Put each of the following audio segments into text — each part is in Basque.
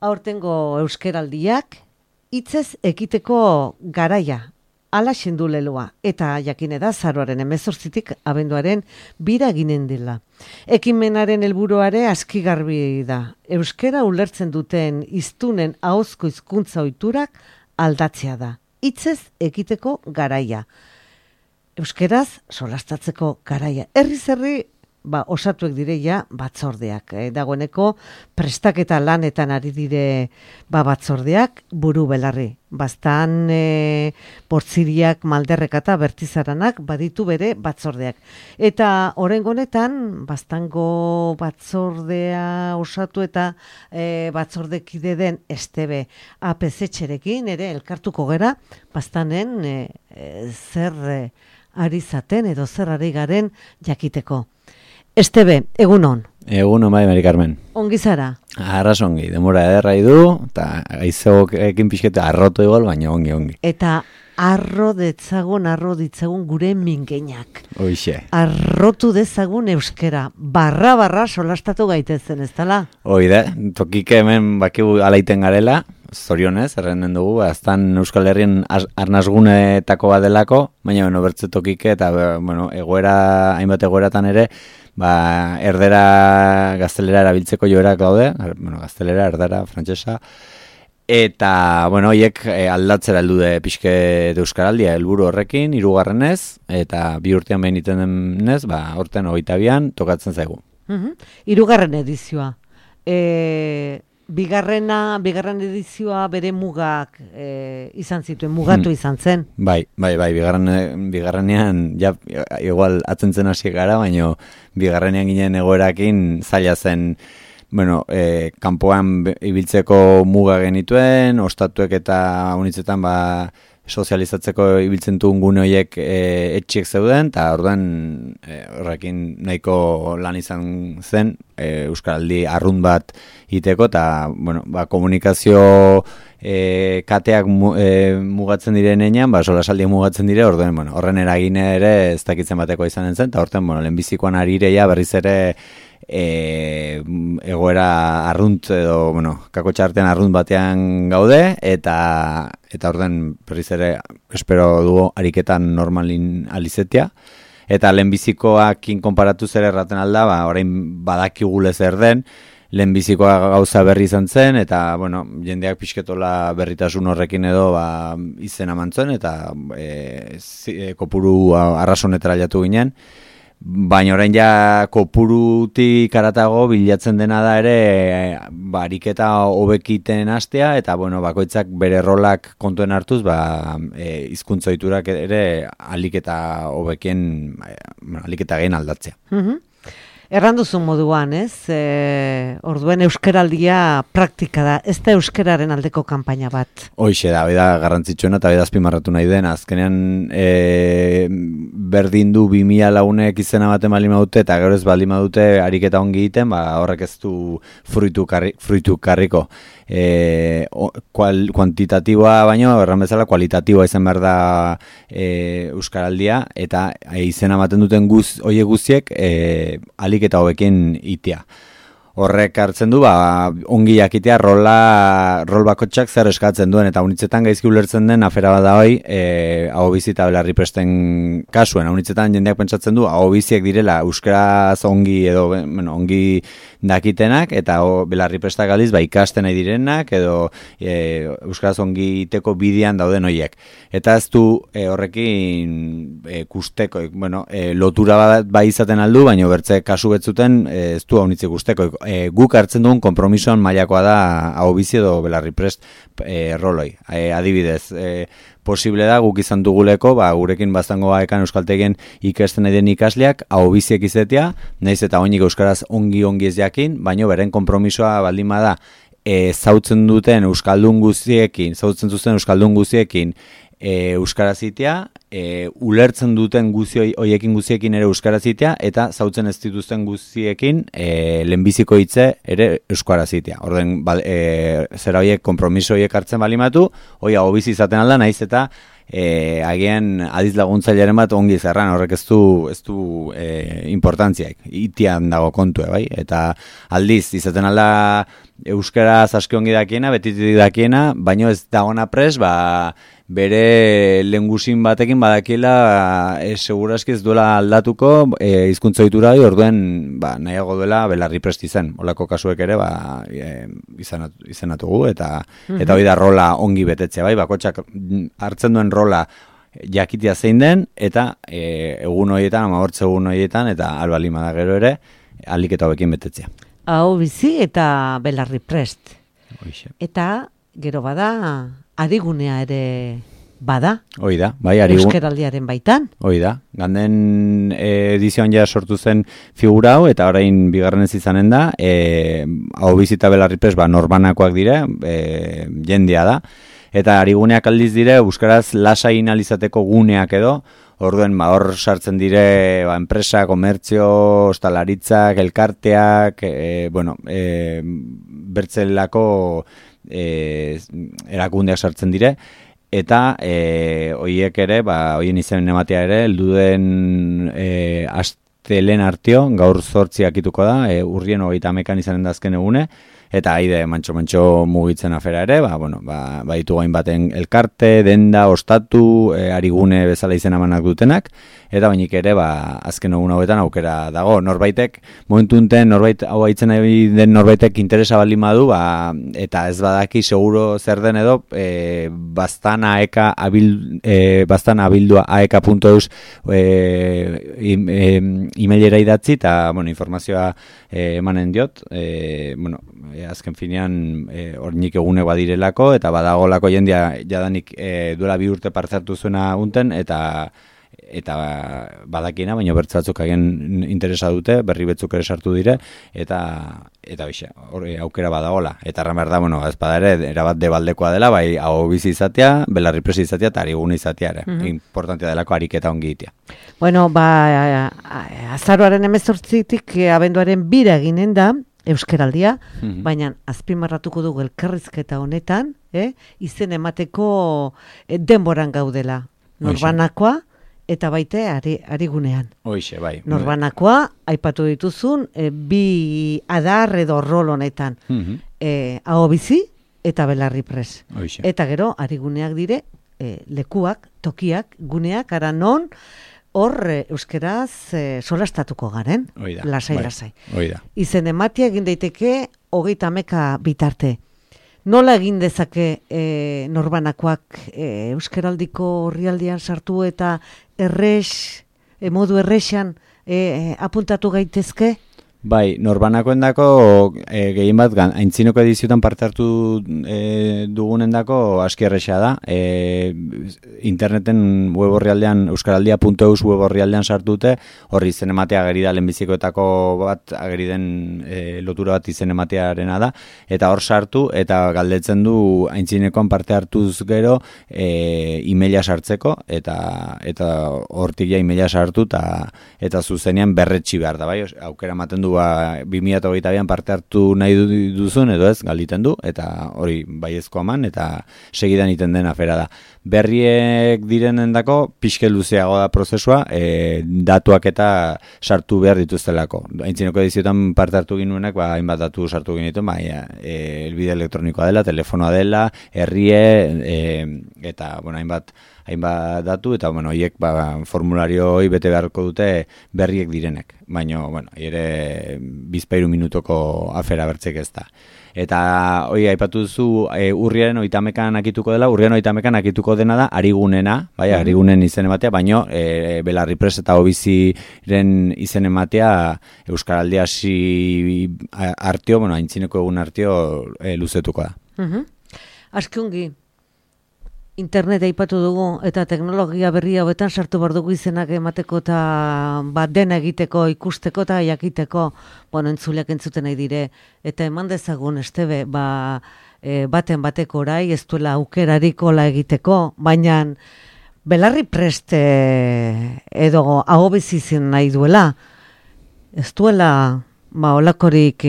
Aurtengo euskeraldiak hitzez ekiteko garaia, ala xendu leloa, eta jakine da azaroaren 18tik abenduaren 2 ginen dela. Ekimenaren helburuare aski garbi da. Euskera ulertzen duten hiztunen ahozko hizkuntza ohiturak aldatzea da. Hitzez ekiteko garaia. Euskeraz solastatzeko garaia. Herri osatuek direia batzordeak. Dagoeneko prestaketa lanetan ari dire batzordeak buru belarri. Bastan Portziriak, Malderrek eta Bertizaranak baditu bere batzordeak. Eta oraingo honetan Bastango batzordea osatu eta batzordekide den Estebe APZ-txerekin ere elkartuko gera Bastanen zer ari zaten edo zer ari garen jakiteko. Estebe, egunon. Egunon bai, Mari Carmen. Ongi zara? Arras ongi, demora ederra du, eta aizegoekin pixketa arroto igual, baina ongi. Eta arro ditzagun gure mingeinak. Hoixe. Arrotu dezagun euskera, barra solastatu gaitezen, ez dala? Hoi da, tokike hemen bakigu alaiten garela, zorionez, errenden dugu, aztan Euskal Herrien arnazgunetako badelako, baina bertze tokike, eta hainbat egoeratan ere, erdera, gaztelera erabiltzeko joerak daude, gaztelera, erdera, frantsesa, eta, hiek aldatzera heldu de pixke de euskaraldia helburu horrekin, 3. eta 2 urtean behin iten denez, horten 22an tokatzen zaigu. 3. edizioa. Bigarren edizioa bere mugak izan zituen, mugatu izan zen. Bai, bigarrenean, igual atentzen hasi gara, baina bigarrenean ginen egoerakin zaila zen, kanpoan ibiltzeko muga genituen, ostatuek eta unitzetan sozializatzeko ibiltzen duen gune horiek etxiek zeuden, eta orduan horrekin nahiko lan izan zen, euskaraldi arrunt bat iteko, eta komunikazio kateak mugatzen direnean, solasaldiak mugatzen dire, orduan horren eragine ere ez dakitzen bateko izanen zen, eta horten lehenbizikoan arireia berriz ere egoera arrunt edo, kakotxartean arrunt batean gaude, eta orduan berriz ere espero dugu ariketan normalin alizetia, eta lehenbizikoakin konparatu zer erraten alda, orain badakigule zer den, lehenbizikoa gauza berri izan zen, eta jendeak pixketola berritasun horrekin edo izena mantzuen, eta kopuru arrasonetara jatu ginen, baina orain ja kopurutik aratago bilatzen dena da ere ariketa hobekiten hastea, eta bakoitzak bere rolak kontuen hartuz hizkuntza ohiturak ere aliketa hobekien aliketa gehen aldatzea. Erranduzun moduan, ez? Orduen euskaraldia praktika da, ez da euskararen aldeko kanpaina bat. Hoixe da, garrantzitsuena eta azpimarratu nahi den. Azkenean berdin du 2000 lagunek izena baten balima dute, eta gero ez balima dute ariketa ongi egiten, horrek ez du fruitu karriko. Kuantitatiboa baino, erran bezala, kualitatiboa izan behar da euskaraldia, eta izena ematen duten oie guztiek aliketa hobekin itea. Horrek hartzen du, ongi jakitea rol bakotxak zer eskatzen duen, eta unitzetan gaizki ulertzen den afera bat da hoi, ahobizi eta belarri presten kasuen. Unitzetan jendeak pentsatzen du, ahobiziek direla euskaraz ongi edo ongi dakitenak, eta belarri prestak aldiz ikasten nahi direnak, edo euskaraz ongi iteko bidean dauden hoiek. Eta ez du horrekin kusteko, lotura bat izaten aldu, baina bertze kasu betzuten ez du haunitzik kusteko. Guk hartzen duen konpromisoan mailakoa da ahobizi edo belarri prest roloi. Adibidez, posible da guk izan duguleko, gurekin Bastango ekan euskaltegien ikasten nahi den ikasleak ahobiziek izatea, nahiz eta oinik euskaraz ongi ez jakin, baina beren konpromisoa baldin bada zautzen duten euskaldun guztiekin euskaraz itea, ulertzen duten hoiekin guztiekin ere euskaraz itea, eta zautzen ez dituzten guztiekin lehenbiziko hitze ere euskaraz itea. Orden, zera hoiek konpromiso hoiek hartzen balimatu, hoi ahobizi izaten alda, nahiz eta agian adiz laguntzaileren bat ongi zerran, horrek ez du importantziaik, itian dago kontue, bai? Eta aldiz, izaten alda euskaraz aski ongi dakiena, betitik dakiena, baino ez dagona pres, bere lengusin batekin badakiela segurazki ez duela aldatuko hizkuntza ohitura hori, orduen nahiago duela belarri prest izan. Olako kasuek ere izanatugu eta hori da rola ongi betetzea, bai, bakotxak hartzen duen rola jakitia zein den, eta egun horietan, 14 egun horietan, eta albalima da gero ere, alik eta hobekin betetzea. Hau bizi eta belarri prest. Hoixe. Eta gero bada, arigunea ere bada. Hoi da, bai, Euskaraldiaren baitan. Hoi da, ganden edizioan ja sortu zen figura hau, eta orain bigarrenez izanen da, hau bizita belarri prest, norbanakoak dire, jendea da, eta ariguneak aldiz dire, euskaraz lasai inalizateko guneak edo, orduen hor sartzen dire enpresa, komertzio, ostalaritzak, elkarteak, bertzelako erakundeak sartzen dire, eta hoiek ere, hoien izen ematea ere, helduden astelen artio, gaur 8 akituko da, urrien 31 izanen da azken egune, eta haide mantxo mugitzen afera ere, baitu gain baten elkarte, denda, ostatu, arigune bezala izena emanak dutenak, eta bainik ere, azken egun hauetan aukera dago. Norbaitek, momentu unten, norbait hau haitzen den norbaitek interesa baldin badu, eta ez badaki seguro zer den edo, bastan abildua aeka.eus emailera idatzi, eta informazioa emanen diot, azken finean ornik egune badirelako, eta badagolako jendia jadanik duela 2 urte parte hartu zuena unten, eta badakiena, baina bertze batzuk hagen interesa dute, berri betzuk ere sartu dire, eta aukera badagola. Eta erran behar da, ez bada ere, erabat debaldekoa dela, bai hau bizi izatea, belarri presi izatea, eta arigune izatea ere. Importantia delako ariketa ongi itea. Azaroaren 18tik abenduaren 2 eginen da, euskaraldia, baina azpimarratuko dugu elkarrizketa honetan, izen emateko denboran gaudela. Norbanakoa, eta baite arigunean. Hoixe, bai. Norbanakoa, aipatu dituzun, 2 adar edo rol honetan. Hau bizi eta belarri pres. Hoixe. Eta gero, ariguneak dire, lekuak, tokiak, guneak, ara non, hor euskeraz solastatuko garen. Oida. Lasai. Oida. Izen ematia egin daiteke 30 bitarte. Nola egin dezake norbanakoak euskaraldiko orrialdean sartu eta modu errexan apuntatu gaitezke? Bai, norbanakoendako gehien bat aintzinoko ediziotan parte hartu dugunendako aski erresa da. Interneten web orrialdean, euskaraldia.eus web orrialdean sartute, horri izen ematea ageri da lehenbizikoetako bat, ageri den lotura bat izen ematearena da, eta hor sartu, eta galdetzen du aintzinekoan parte hartuz gero emaila sartzeko, eta hortik ja emaila sartu, eta zuzenean berretsi behar da, bai, aukera ematen du 2022an parte hartu nahi duzun edo ez, galditen du, eta hori baiezko eman, eta segidan iten den afera da. Berriek direnendako pixke luzeago da prozesua, datuak eta sartu behar dituztelako. Aintzineko ediziotan parte hartu ginuenak, hainbat datu sartu genituen, elbide elektronikoa dela, telefonoa dela, herrie, eta hainbat datu, eta hiek formulario hori bete beharko dute berriek direnek. Baina, ere bizpairu minutoko afera bertzek ez da. Eta hori aipatu duzu urriaren 30an akituko dela, urriaren 30an akituko dena da arigunena, arigunen izen ematea, baino belarri pres eta hobiziren izen ematea euskaraldia artio, aintzineko egun artio luzetuko da. Askungi, internet aipatu dugu eta teknologia berri hauetan sartu behar dugu izenak emateko eta dena egiteko, ikusteko eta jakiteko, entzuleak entzuten nahi dire, eta eman dezagun estebe, baten bateko orai, ez duela aukerarik hola egiteko, baina belarri prest edo hau bizizien nahi duela, ez duela olakorik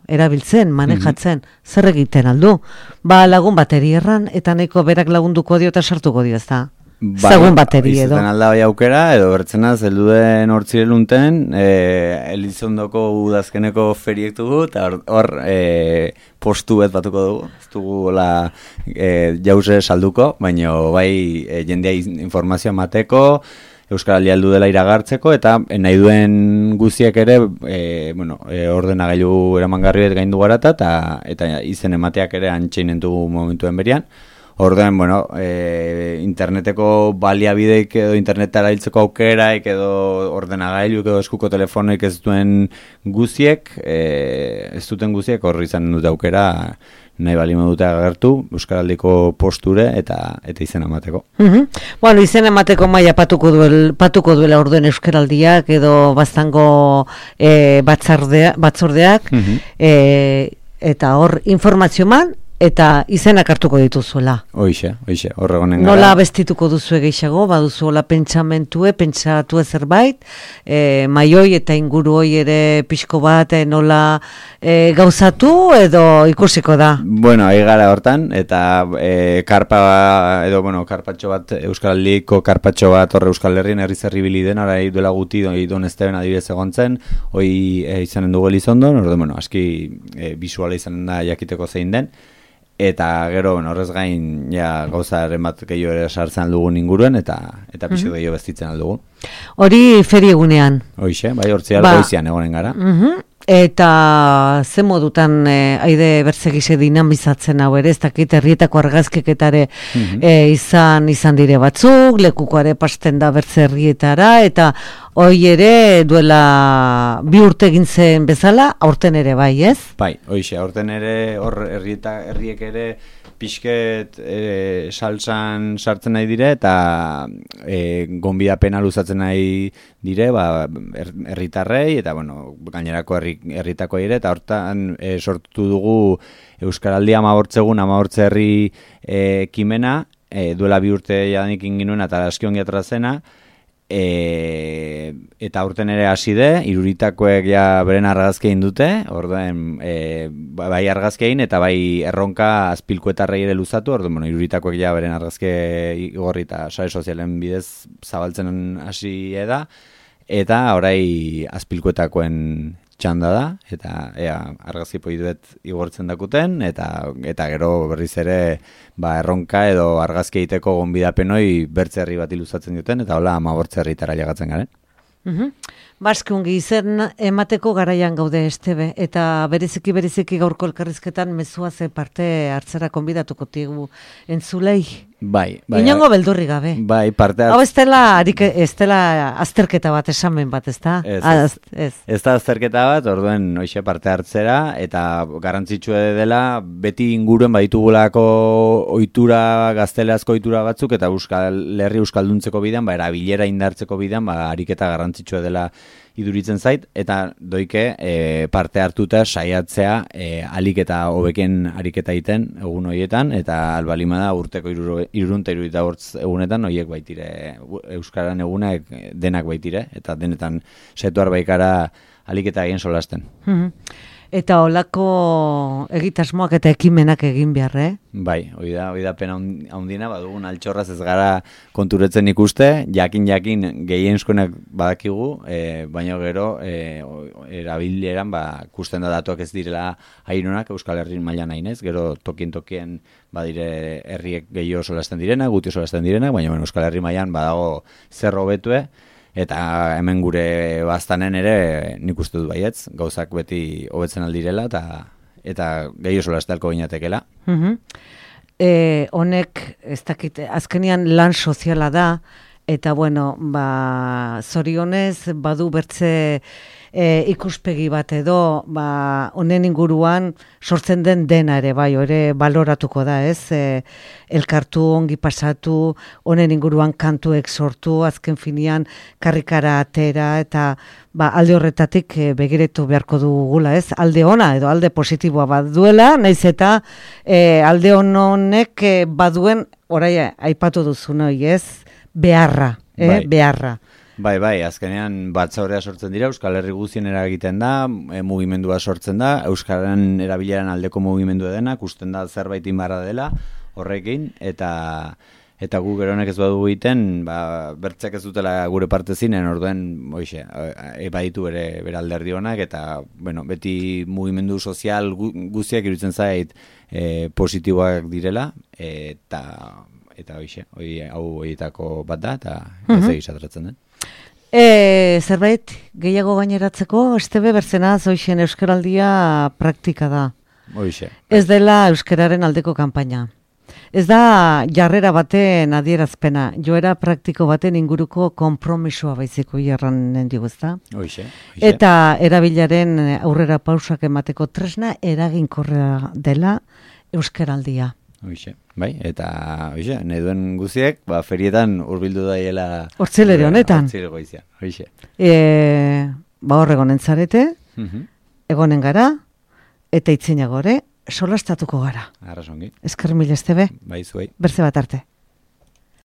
erabiltzen, manejatzen, zer egiten aldu. Lagun bateri erran, eta nahiko berak lagunduko dio eta sartuko dio, ez da? Zagun bateri edo. Izaten alda bai aukera, edo bertzena zelduden hortzirelunten, Elizondoko udazkeneko feriek dugu, eta hor postu bet batuko dugu. Ez dugu jauze salduko, baina bai jendea informazioa mateko, Euskaraldia heldu dela iragartzeko, eta nahi duen guziek ere ordenagailu eramangarri bet gaindu garata, eta izen emateak ere antxeinentu momentuen berian. Orduan, interneteko baliabideik edo internetara hiltzeko aukeraik edo ordenagailuk edo eskuko telefonoik ez duten guziek, horri izan dute aukera nahi bali dute agertu Euskaraldiko posture eta izena emateko. Bueno, izena emateko maila patuko duela orduen Euskaraldiak edo baztango batzordeak, eta hor informazio man, eta izenak hartuko dituzuela. Hoixe, horregonen gara. Nola bestituko duzu gehiago, baduzu hola pentsatu zerbait, maioi eta inguru hoi ere pixko bat nola gauzatu edo ikusiko da? Bueno, ahi gara hortan, eta karpatxo bat, Euskaraldiko karpatxo bat horre Euskal Herrien herri bili den, arai duela guti Don Esteben adibidez egontzen, hoi izanen dugu Elizondon, aski bisuala izanen da jakiteko zein den, eta gero, horrez gain gauzaren bat gehiago ere sartzen aldugun inguruen, eta pixo gehiago bestitzen aldugun. Hori feriegunean? Hoixe, bai, hortziar goizian egonen gara. Eta ze modutan aide bertzegise dinamizatzen hau ere, ez dakit herrietako argazkiketare izan dire batzuk, lekukoare pasten da bertze herrietara, eta hoi ere duela 2 urte egin zen bezala, aurten ere bai, ez? Bai, hoixe, aurten ere hor herriek ere pixket salsan sartzen nahi dire, eta gonbidapena luzatzen nahi dire, herritarrei, eta gainerako herritako ere, eta hortan sortu dugu Euskaraldia 14 herri ekimena, duela 2 urte jadanik inginuen, eta aski ongi atrazena, eta aurten ere hasi de, Iruritakoek beren argazkein dute, orduan bai argazkein eta bai erronka azpilkuetarrei ere luzatu, orduan Iruritakoek beren argazke igorri eta sare sozialen bidez zabaltzen hasi da, eta orai azpilkuetakoen txanda da, eta argazki poiduet igortzen dakuten, eta gero berriz ere erronka edo argazki egiteko gonbidapenoi bertze herri bat iluzatzen duten, eta hola 15 herritara llegatzen garen. Baskungi izen emateko garaian gaude Estebe, eta bereziki gaurko elkarrizketan mezua ze parte hartzera konbidatuko tigu entzulei. Bai. Inongo beldurri gabe. Bai, parte hau ez dela azterketa bat, esamen bat, ez da? Ez da azterketa bat, orduen hoxe parte hartzera, eta garrantzitsua dela, beti inguruen baditugulako ohitura, gazteleazko ohitura batzuk, eta herri euskalduntzeko bidean, erabilera indartzeko bidean, ariketa garrantzitsua dela iduritzen zait, eta doike parte hartuta saiatzea alik eta hobeken ariketa egiten egun horietan, eta albalimada urteko 365 egunetan horiek baitire, Euskaran egunak denak baitire, eta denetan saiatu baikara alik eta egin solasten. Eta holako egitasmoak eta ekimenak egin behar, Bai, hori da pena handina, badugun altxorraz ez gara konturetzen ikuste, jakin gehienskoenak badakigu, baina gero erabileran kusten da datuak ez direla hairunak Euskal Herrin mailan hainez, gero tokien badire herriek gehiago solasten direna, guti solasten direna, baina Euskal Herri mailan badago zer hobetue, eta hemen gure baztanen ere nik uste dut baietz, gauzak beti hobetzen aldirela, eta gehiago solastelko ginatekela. Honek, ez dakit, azkenian lan soziala da, eta zorionez badu bertze ikuspegi bat edo, honen inguruan sortzen den dena ere, ere baloratuko da, ez? Elkartu, ongi pasatu, honen inguruan kantuek sortu, azken finean karrikara atera, eta alde horretatik begiretu beharko dugula, ez? Alde ona edo alde positiboa bat duela, naiz eta alde honek baduen, orai aipatu duzu noi, ez? Beharra, beharra. Bai, azkenean batzaurea sortzen dira, Euskal Herri guztien eragiten da, mugimendua sortzen da, Euskaren erabileran aldeko mugimendua dena, kusten da zerbait inbarra dela horrekin, eta eta gu geronek ez badugu egiten, bertzak ez dutela gure parte zinen, orduen, baditu bere alderdi honak, eta, bueno, beti mugimendu sozial guztiak iruditzen zait positiboak direla, eta hau horietako bat da, eta ez egizatratzen den. Zerbait gehiago gaineratzeko, Estebe Berzenaz hoixen Euskaraldia praktika da. Hoixe. Ez dela euskararen aldeko kanpaina. Ez da jarrera baten adierazpena, joera praktiko baten inguruko konpromisoa baiziko jarranen digu, ezta? Hoixe. Eta erabilaren aurrera pausak emateko tresna eraginkorra dela Euskaraldia. Hoixe, bai, eta nahi duen guziek, ferietan hurbildu daiela... Hortzelere honetan. Hortzile goizia, hoixe. Horregonen zarete, egonen gara, eta itzinagore, solastatuko gara. Arrasongi. Esker mil Estebe. Bai, zuei. Berze bat arte.